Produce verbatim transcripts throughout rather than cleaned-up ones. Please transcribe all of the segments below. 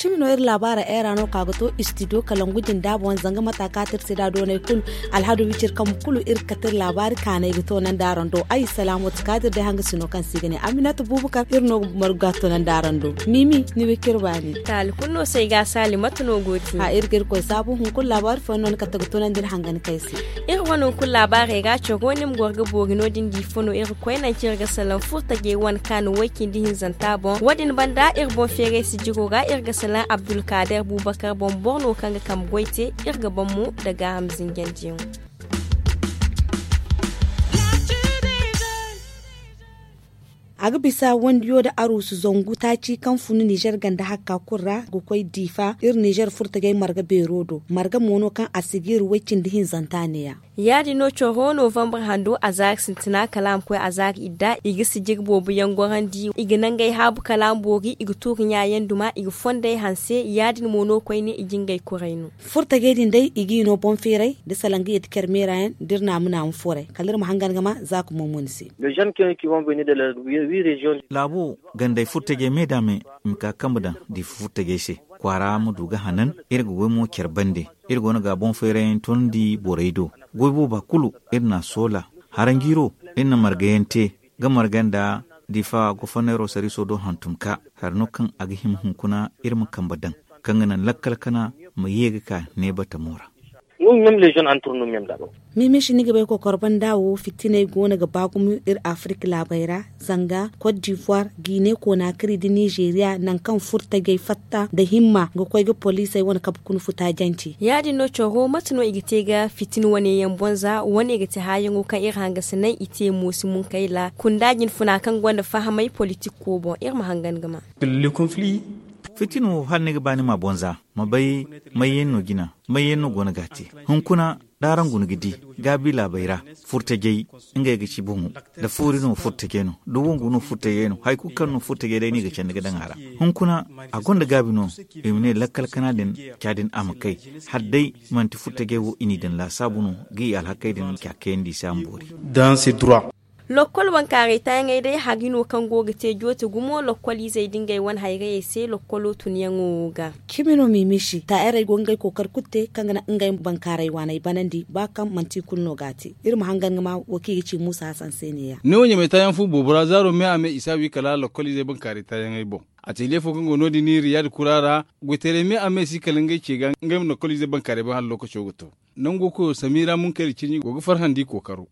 Cimi no iri laabaara era no ka ga to istidiyo kalangu jinda boŋ zanga mata ka tirsi da doonay kulu. Alhadu wicir kambu kulu iri ga kate iri laabaari kaanay ga to nandi araŋ do ay salaamo ti kaadir day hanga sino kaŋ se i ga ne aminata buubakar iri no ga margu ga to nandi araŋ do. Mimi ni wicir baani taali kulu no se ay ga a saali mate no go ti a iri ga iri koy saabu hunkuna laabaari fooyaŋ no ni kate ga to nandi iri hanga ni kay se. Iri wane hunkuna laabaarey ra coro ni ma goro ga boori no- din di fo no iri ga koy nanci iri ga salaŋ furtajey wane kaanu way- cindi hinzanta boŋ wo- din banda iri boŋ feeray sijiro ra iri ga salaŋ abdulkaader buubakar boŋ boro no kaŋ ga kambe goy te. Iri ga ban mo nda gaaham zinjandiyaŋo. A ga bisa wandiyo nda aruusu zangu taaci kaŋ fun nizer ganda hakka kulu ra ga koy diifa iri nizer furtajey marga beero do marga mo no kaŋ a si ga iri way- cindi hinzanta neeya. Ya- din no coro novambar hando a zaari sintina kala a ma koy a zaari idda i ga sijiri boobo yaŋ gorandi i ga nangey haabu kala a ma boori i ga tuuri ɲaayaŋ duma i ga fondey hanse ya- din mo no koyne i ga ngey kuray no. Furtajey din day i ga i no boŋ feeray nda salaŋ ga yadda care meera yaŋ da iri naamu naamu fooray kala iri ma hangan ga ma za ka moomoni se. Laabo gandey furtajey me da me i ma ka kambe daŋ diifa furtajey se kwaara ma du ga hanan. Iri ga goy mo care bande iri go no ga boŋ feeray yaŋ toonandi borey do. Goy booba kulu iri na a soola haranjiiro iri na marga yaŋ te ga marga nda diifa goforneero sariiso do hantum ka hari no kaŋ a ga hima hunkuna iri ma kambe daŋ kaŋ ga naŋ lakkal kana ma ye ga ka neebatamo ra. Mimishi ni ga bay kokor banda wo fitiney go no ga ba gumo iri afirik laabey ra zanga kot divoire guinee konaakari nda nizeeriya nangu kaŋ furtajey fatta nda himma ga koy ga poliisey wane kabe kuna futa jance. Ya- din no coro mate no i ga te ga fitina wane yaŋ boŋ za wane ga ti haayaŋo kaŋ iri hangasiney i te mo si mun kay ra kunda jinfuna kaŋ gonda fahamey politik ko boŋ iri ma hangan ga ma. Fitina wo hala ni ga ba ni ma boŋ za ma bay mayyaŋ no jina mayyaŋ no go no ga a te. Hunkuna da araŋ guna ga di gaabi laabey ra furtajey ngey ga ci boŋo da foori no furtajey no da wangu no furtajey no hari kulu kaŋ no furtajey day no i ga candi ga daŋ a ra. Hunkuna a gonda gaabi no i ma ne lakkal kana din ca din a ma kay hala day manti furtajey wo i n'i daŋ laasaabu no ga i alhakey din ca kayandi i se a ma boori. Lokkol bankaaray taayaŋey day hari no kaŋ go ga te joote gumo lokkol izey da ngey wane hayrayey se lokkolo tunyaŋo wo ga. Cimi no mimishi taayarey go ga ngey kookari kulu te kaŋ ga naŋ ngey bankaaray waaney banandi ba kaŋ manti i kulu no ga a te. Iri ma hangan ga ma wo kaŋ i ga ci muusa hasan se neeya. Neewo ɲamay taayaŋ fu boobo ra zaaro me a me i si a wi kala lokkol izey bankaaray taayaŋey boŋ. Ateliye fo kaŋ go no- din riyad kura ra goytaray me a me si kala ngey ce ga ngey ma lokkol izey bankaaray boŋ hala lookaco ga to. Nango koyo samira munkari cirɲi go ga farhandi kookaro.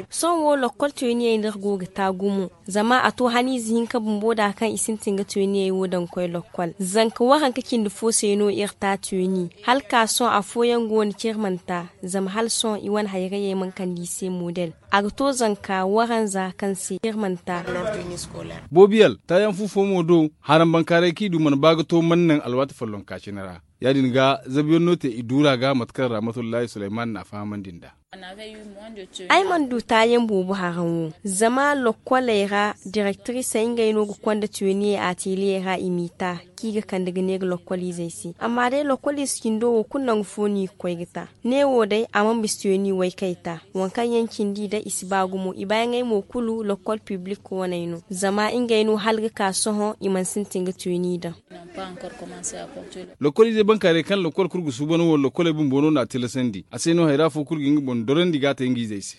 Sohõ wo lokkol tooniyey no iri go ga ta gumo zama a to haniize hinka bumbo da kaŋ i sintin ga tooniyey wo daŋ ga koy lokkol zanka waranka cindi fo se no iri ta tooni hala ka sohõ afooyaŋ go no kaŋ iri mana ta zama hala sohõ i wane hayrayey mana kande i se model. A ga to zanka waranza kaŋ se iri mana ta. Boobiyal taayaŋ fu fo mo do harambankaaray kaŋ i du mana ba ga to mana naŋ alwaati follonka cine ra. Ya- din ga zabuyaŋ no te i duura ga mate kaŋ rahmatullahi sulayman n'a fahamandi nd'a. Ay mana du taayaŋ boobo haraŋ wo zama lokkoley ra direktirisey ngey no ga konda tooniyey ateliyey ra i m'i ta kaŋ i ga kande ga neera lokkoliizey se amma day lokkoliize cindo wo kulu nangu fo no i ga koy ga ta. Neewo day a mana bisa tooni way kaŋ i ta waŋ kaŋ yaŋ cindi day i si ba gumo i baayaŋey mo kulu lokkol piblik waney no zama ngey no hala ga ka sohõ i mana sintin ga tooni daŋ. Lokoliizey bankaaray kaŋ lokol kulu ga suuban wo lokoley bumbo no n'a tilasandi a se no hayra fo kulu ga nga boŋ dorandi ga a te nga izey se.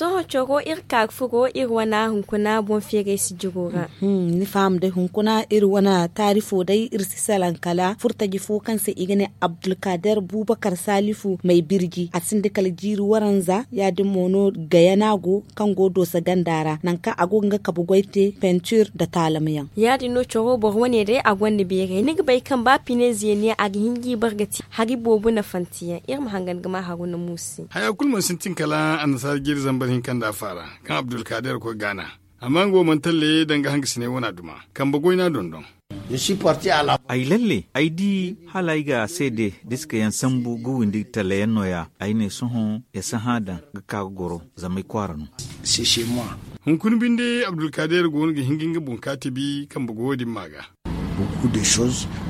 Sohõ coro iri ka ga furo iri wana hunkuna boŋ feeray sijiro ra. Ni faham day hunkuna iri wana taarifo day iri si salaŋ kala furtaji fo kaŋ se i ga ne abdulkader bubakar salifu may birji a sinda kala jiiri waranza ya- din mo no gayana go kaŋ go doosa ganda ra nangu kaŋ a go ga nga kabe goy te pentir nda taalamyaŋ. Ya- din no coro boro wane day a gonda beeray ni ga bay kaŋ ba pine zeeniyaŋ a ga hin ga i bar ga te hari boobo nafanteyaŋ iri ma hangan ga ma haruna muusu se. Haya kulu mana sintin kala annasaara jiiri zambar hinka nda afaara kaŋ abdulkader koy gaana. Amma nga wo mana talle danga hangasiney wana duma kambe goyna dondon. Ay lalle ay di hala ay ga seede diskayaŋ sambu ga windi tallayaŋ nooya ay ne sohõ ya sahã daŋ ga ka ga goro zama ay kwaara no. Hunkuna binde abdulkaadeer go no ga hin ga nga boŋ ka tibi kambe goyo din ma ga.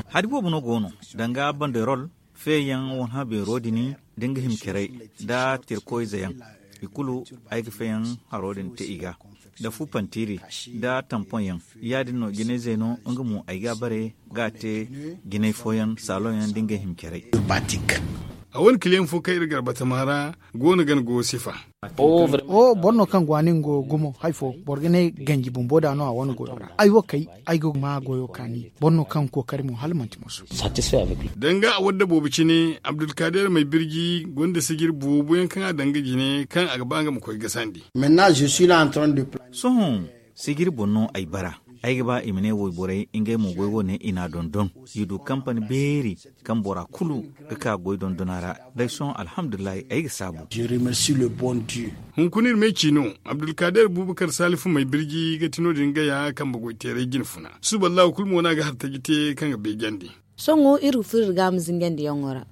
Hari boobo no go no, danga banderol feeyaŋ wane habeero din, da nga himcerey, nda tirkoyze yaŋ, i kulu ay ga feeyaŋ haro din te i ga, nda fu pantiiri, nda tampoŋ yaŋ. Ya- din no jinayzey no nga mo ay ga a bare ga a te jinay fooyaŋ saaloŋ yaŋ da ngey himcerey. A wane kiliyaŋ fo kaŋ iri gar batama ra go no gana goyo sifa. Wo boro no kaŋ go a ne nga go gumo hari fo boro ga ne ganji bumbo da no a wane goyo ra. Ay wo kay, ay ga ma goyo kaani boro no kaŋ kookari mo hala manti moso. Danga a wadda boobo cine abdulkaadir may birji gonda sijir boobo yaŋ kaŋ a daŋ ga jine kaŋ a ga ba nga ma koy gasandi. Sohõ, sijir boŋ no ay bara. Ay ga ba i ma ne wayborey ngey mo goy wane i n'a dondon, i du kampani beeri kaŋ bora kulu ga ka goy dondona ra. Day sohõ alhamdulillahi ay ga saabu. Hunkuna iri me ci no, abdulkaadir buubakar saalifu may birji ga ti no- din gaya kambe goyteeray jine funa suba allahu kulu mo no a ga hartaji te kaŋ ga beejandi. Sohõ iri ga furo iri ga a ma zingandiyaŋo ra.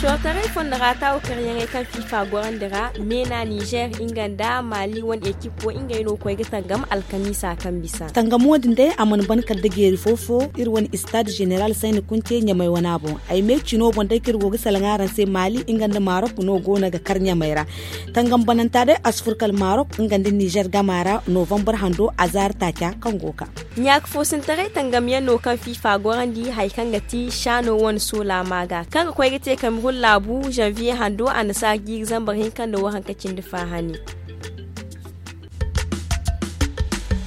Cootaray fondo ra taawu karyaŋey kaŋ fifa gorandi ra, meena nizer nga nda maali wane ekip wo ngey no koy ga tangam alkamiisa kaŋ bisa. Tangamo din day a mana ban kala da jeeri fo fo. Iri wane istaad zeneral sayni kunce ɲamay wana boŋ. Ay me cino boŋ day kaŋ iri go ga salaŋ araŋ se maali nga nda marok no go no ga kar ɲamay ra. Tangam bananta day a si fur kala marok nga nda nizer gama ra novambar hando azaari taaca kaŋ go ga ka. Ɲaaka foosintaray tangamyaŋ no kaŋ fifa gorandi hari kaŋ ga ti saano wane soola ma ga kaŋ ga koy ga te kamerun laabu zanviye hando annasaara jiiri zambar hinka nda waranka cindi faahani.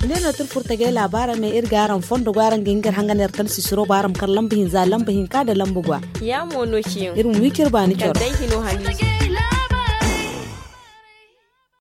Ne no tirfurtagey laabaara me iri ga araŋ fondo go araŋ ga hin ga iri hangan iri kala sisiro ba araŋ ma kar lamba hinza lamba hinka nda lamba gwa. Iri ma wi ciri baani coro.